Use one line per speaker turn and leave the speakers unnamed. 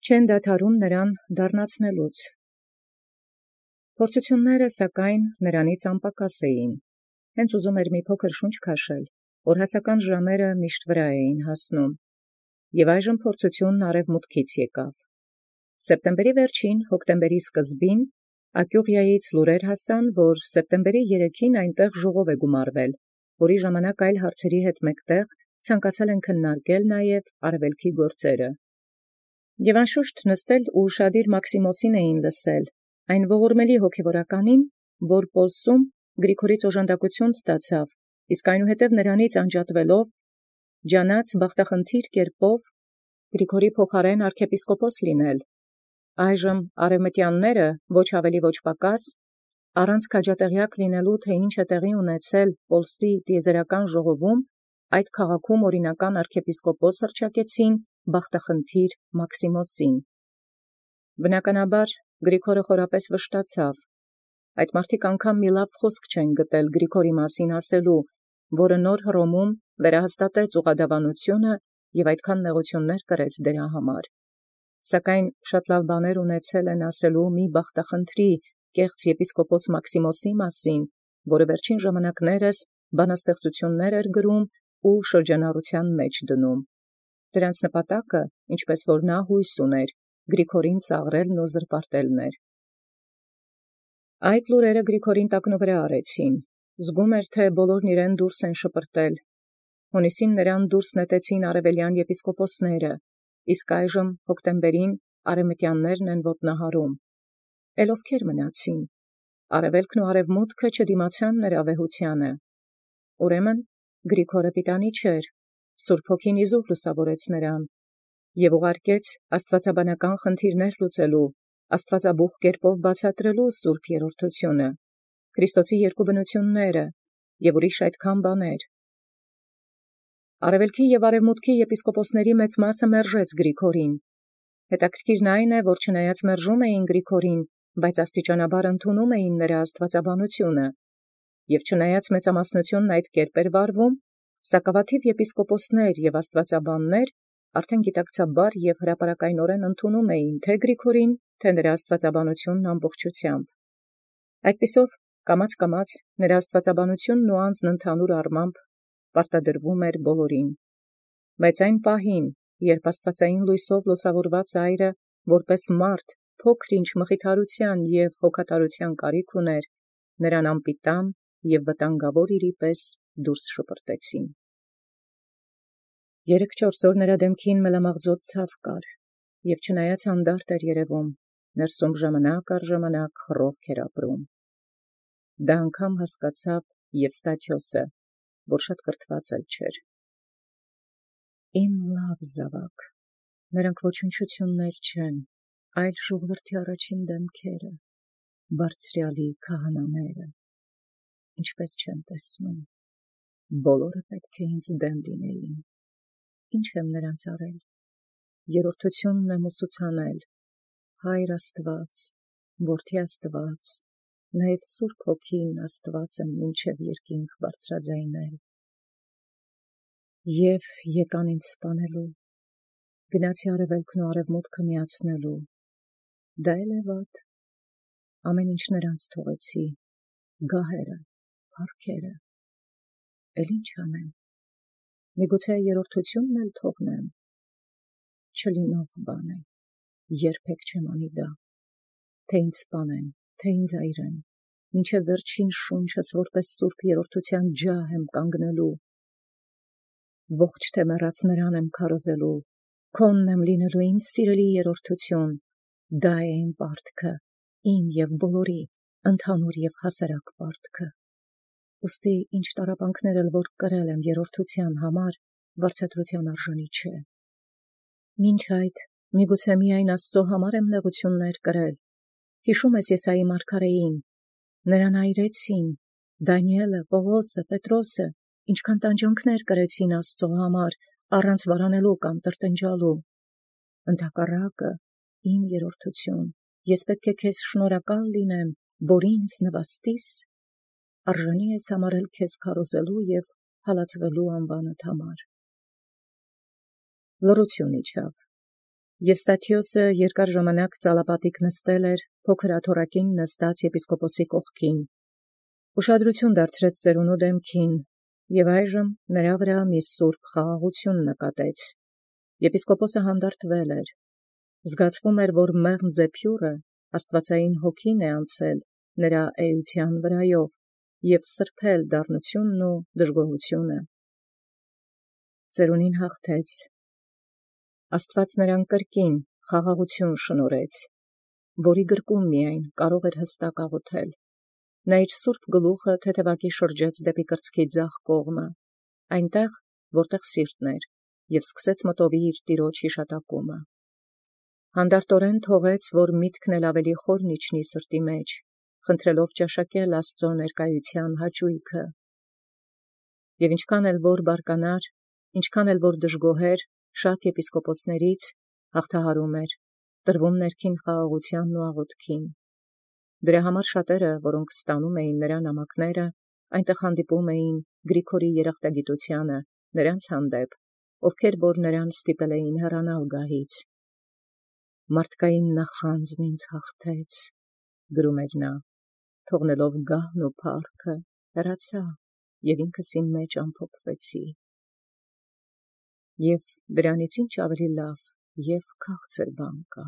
Չեն դադարում նրան դառնացնելուց։ Փորձությունները սակայն նրանից անպակաս էին։ Հենց ուզում էր մի փոքր շունչ քաշել, որ հասական ժամերը միշտ վրա էին հասնում։ Եւ այժմ փորձությունն արևմուտքից եկավ։ Սեպտեմբերի վերջին, հոկտեմբերի սկզբին Ակյուղիայից լուրեր հասան, որ սեպտեմբերի 3-ին այնտեղ ժողով է գումարվել, որի ժամանակ այլ հարցերի հետ մեկտեղ ցանկացել են քննարկել նաև արևելքի գործերը։ Եւ անշուշտ նստել ու շադիր Մաքսիմոսին էին լսել, այն ողորմելի հոգևորականին, որ Պոլսում Գրիգորից օժանդակություն ստացավ, իսկ այնուհետև նրանից անջատվելով ջանաց բախտախնդիր կերպով Գրիգորի փոխարեն arczepiskopos լինել։ Այժմ արևմտյանները ոչ ավելի ոչ պակաս առանց քաջատեղյակ լինելու, թե ինչ է տեղի ունեցել Պոլսի տիեզերական ժողովում, այդ քաղաքում օրինական arczepiskopos հռչակեցին բախտախնդիր Մաքսիմոսին։ Բնականաբար Գրիգորը խորապես վշտացավ։ Այդ մարդիկ անգամ մի լավ խոսք չեն գտել Գրիգորի մասին ասելու, որը նոր Հռոմում վերահաստատեց ուղղադավանությունը և այդքան նեղություններ կրեց դրա համար։ Սակայն շատ լավ բաներ ունեցել են ասելու մի բախտախնդրի կեղծ եպիսկոպոս Մաքսիմոսի մասին, որը վերջին ժամանակներս բանաստեղծություններ էր գրում ու շրջանառության մեջ դնում։ Դրանց նպատակը, ինչպես որ նա հույս ուներ, Գրիգորին ծաղրելն ու զրպարտելն էր։ Այդ լուրերը Գրիգորին տակնուվրա արեցին։ Զգում էր, թե բոլորն իրեն դուրս են շպրտել։ Հունիսին նրան դուրս նետեցին արևելյան եպիսկոպոսները, իսկ այժմ հոկտեմբերին արևմտյաններն են ոտնահարում։ Էլ ովքեր մնացին։ Արևելքն ու արևմուտքը չդիմացան նրա վեհությանը։ Ուրեմն Գրիգորը պիտանի չէր, Սուրբ Հոգին իզուր լուսավորեց նրան և ուղարկեց աստվածաբանական խնդիրներ լուծելու, աստվածաբուխ կերպով բացատրելու սուրբ երրորդությունը, Քրիստոսի երկու բնությունները և ուրիշ այդքան բաներ։ Արևելքի և արևմուտքի եպիսկոպոսների մեծ մասը մերժեց Գրիգորին։ Հետաքրքիրն այն է, որ չնայած մերժում էին Գրիգորին, բայց աստիճանաբար ընդունում էին նրա աստվածաբանությունը, և չնայած մեծամասնությունն այդ կերպ էր վարվում, սակավաթիվ եպիսկոպոսներ և աստվածաբաններ արդեն գիտակցաբար և հրապարակայնորեն ընդունում էին թե Գրիգորին, թե նրա աստվածաբանությունն ամբողջությամբ։ Այդպիսով կամաց նրա աստվածաբանությունն ու անձն ընդհանուր առմամբ պարտադրվում էր բոլորին։ Բայց այն պահին, երբ աստվածային լույսով լուսավորված այրը, որպես մարդ, փոքր-ինչ մխիթարության և հոգատարության կարիք ուներ, նրան անպիտան և վտանգավոր իրի պես դուրս շպրտեցին։ 3-4 օր նրա դեմքին մելամաղձոտ ցավ կար, և չնայած հանդարտ էր երևում, ներսում ժամանակ առ ժամանակ խռովք էր ապրում։ Դա անգամ հասկացավ Եվստաթիոսը, որ շատ կրթված էլ չէր։ Իմ լավ զավակ, նրանք ոչնչություններ չեն, այլ ժողովրդի առաջին դեմքերը, բարձրյալի քահանաները, ինչպես չեմ տեսնում, բոլորը պետք է ինձ դեմ լինեին, ինչ եմ նրանց արել, երրորդությունն եմ ուսուցանել, Հայր Աստված, Որդի Աստված, նաև Սուրբ Հոգին Աստված եմ մինչև երկինք բարձրաձայնել։ Եվ եկան ինձ սպանելու, գնացի արևելքն ու արևմուտքը միացնելու, դա էլ է վատ, ամեն ինչ նրանց թողեցի, գահերը, փառքերը, էլ ինչ անեմ, միգուցե երրորդությունն էլ թողնեմ, չլինող բան է, երբեք չեմ անի դա, թե ինձ սպանեն, թե ինձ այրեն, մինչև վերջին շունչս որպես սուրբ երրորդության ջահ եմ կանգնելու, ողջ թե մեռած նրան եմ քարոզելու, քոնն եմ լինելու իմ սիրելի երրորդություն, դա է իմ պարտքը, իմ և բոլորի, ընդհանուր և հասարակ պարտքը։ Ուստի ինչ տառապանքներ էլ որ կրել եմ երրորդության համար, վարձատրության արժանի չէ։ Մինչ այդ միգուցե միայն Աստծո համար եմ նեղություններ կրել։ Հիշում ես Եսայի մարգարեին, նրան այրեցին, Դանիելը, Պողոսը, Պետրոսը, ինչքան տանջանքներ կրեցին Աստծո համար, առանց վարանելու կամ տրտնջալու։ Ընդհակառակը, իմ երրորդություն, ես պետք է քեզ շնորհակալ լինեմ, որ ինձ նվաստիս, արժանի ես համարել քեզ քարոզելու և հալածվելու անվանդ համար։ Լռություն իջավ։ Եւ Ստաթիոսը երկար ժամանակ ծալապատիկ նստել էր փոքր աթոռակին նստած եպիսկոպոսի կողքին, ուշադրություն դարձրեց ծերունու դեմքին, եւ այժմ նրա վրա մի սուրբ խաղաղություն նկատեց. եպիսկոպոսը հանդարտվել էր, զգացվում էր, որ մեղմ զեփյուռը աստուածային հոգին է անցել նրա էության վրայով եւ սրբել դառնությունն ու դժգոհությունը։ Ծերունին հաղթեց. Աստված նրան կրկին խաղաղություն շնորհեց, որի գրկում միայն կարող էր հստակ աղոթել։ Նա իր սուրբ գլուխը թեթևակի շրջեց դեպի կրծքի ձախ կողմը, այնտեղ, որտեղ սիրտն էր, եւ սկսեց մտովի իր տիրոջ հիշատակումը։ Հանդարտորեն թողեց, որ միտքն էլ ավելի խորն իջնի սրտի մեջ, խնդրելով ճաշակել Աստծո ներկայության հաճույքը։ Եւ ինչքան էլ որ բարկանար, ինչքան էլ որ դժգոհեր, շատ եպիսկոպոսներից հաղթահարում էր, տրվում ներքին խաղաղությանն ու աղոթքին։ Դրա համար շատերը, որոնք ստանում էին նրա նամակները, այնտեղ հանդիպում էին Գրիգորի երախտագիտությանը նրանց հանդեպ, ովքեր որ նրան ստիպել էին հեռանալ գահից։ «Մարդկային նախանձն ինձ հաղթեց», գրում էր նա, թողնելով գահն ու փառքը, հեռացա եւ ինքս իմ մեջ ամփոփվեցի։ Եվ դրանից ինչ ավելի լավ եւ քաղցր բան կա։